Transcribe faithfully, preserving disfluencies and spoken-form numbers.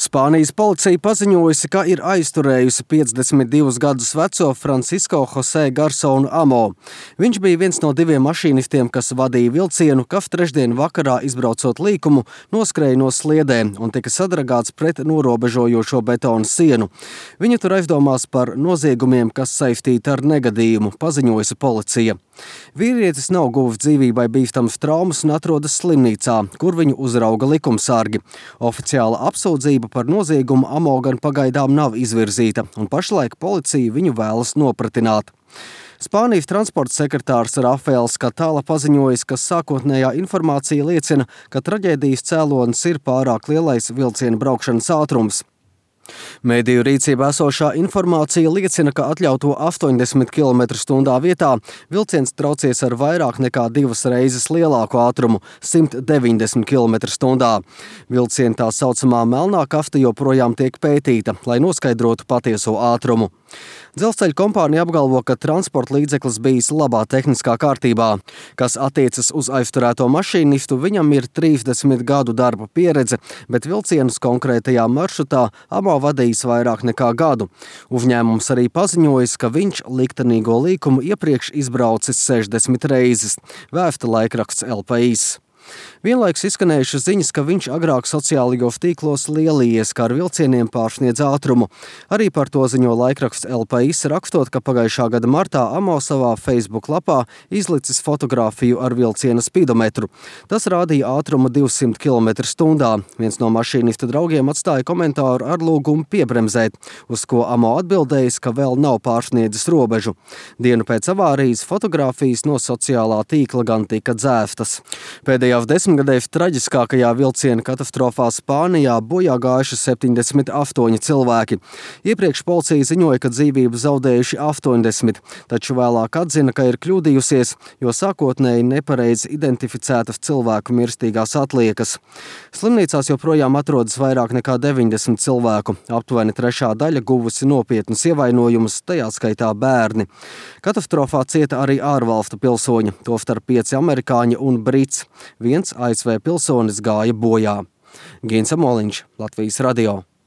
Spānijas policija paziņojusi, ka ir aizturējusi piecdesmit divus gadus veco Francisco José Garsonu Amo. Viņš bija viens no diviem mašīnistiem, kas vadīja vilcienu, kas trešdien vakarā izbraucot līkumu noskrēja no sliedēm un tika sadragāts pret norobežojošo betona sienu. Viņu tur aizdomās par noziegumiem, kas saistīti ar negadījumu, paziņojusi policija. Vīrietis nav guvis dzīvībai bīstamas traumas un atrodas slimnīcā, kur viņu uzrauga likumsargi. Oficiāla apsūdzība par noziegumu Amo gan pagaidām nav izvirzīta, un pašlaik policija viņu vēlas nopratināt. Spānijas transporta sekretārs Rafaels Catala paziņojis, ka sākotnējā informācija liecina, ka traģēdijas cēlonis ir pārāk lielais vilciena braukšanas ātrums. Mēdīju rīcībā esošā informācija liecina, ka atļauto astoņdesmit kilometru stundā vietā vilciens traucies ar vairāk nekā divas reizes lielāku ātrumu – simt deviņdesmit kilometru stundā. Vilciena tā saucamā melnā kasta joprojām tiek pētīta, lai noskaidrotu patieso ātrumu. Dzelzceļa kompānija apgalvo, ka transporta līdzeklis bijis labā tehniskā kārtībā. Kas attiecas uz aizturēto mašīnistu, viņam ir trīsdesmit gadu darba pieredze, bet vilcienus konkrētajā maršrutā Amo vadījis vairāk nekā gadu. Uzņēmums arī paziņojis, ka viņš liktenīgo līkumu iepriekš izbraucis sešdesmit reizes, vēsta laikraksts El País. Vienlaikus izskanējušas ziņas, ka viņš agrāk sociālajos tīklos lielījies, kā ar vilcieniem pārsniedz ātrumu. Arī par to ziņo laikraksts El País, rakstot, ka pagājušā gada martā Amo savā Facebook lapā izlicis fotogrāfiju ar vilciena spidometru. Tas rādīja ātrumu divsimt kilometru stundā. Viens no mašīnista draugiem atstāja komentāru ar lūgumu piebremzēt, uz ko Amo atbildējis, ka vēl nav pārsniedzis robežu. Dienu pēc avārijas fotogrāfijas no sociālā tīkla gan tika dzēstas. Pēdējās desmitgadēs traģiskākajā vilciena katastrofā Spānijā bojā gājuši septiņdesmit astoņi cilvēki. Iepriekš policija ziņoja, ka dzīvību zaudējuši astoņdesmit, taču vēlāk atzina, ka ir kļūdījusies, jo sākotnēji nepareizi identificētas cilvēku mirstīgās atliekas. Slimnīcās joprojām atrodas vairāk nekā deviņdesmit cilvēku. Aptuveni trešā daļa guvusi nopietnus ievainojumus, tajā skaitā bērni. Katastrofā cieta arī ārvalstu pilsoņi, tostarp pieci amerikāņi un brits. Viens A S V pilsonis gāja bojā. Gins Amoliņš, Latvijas radio.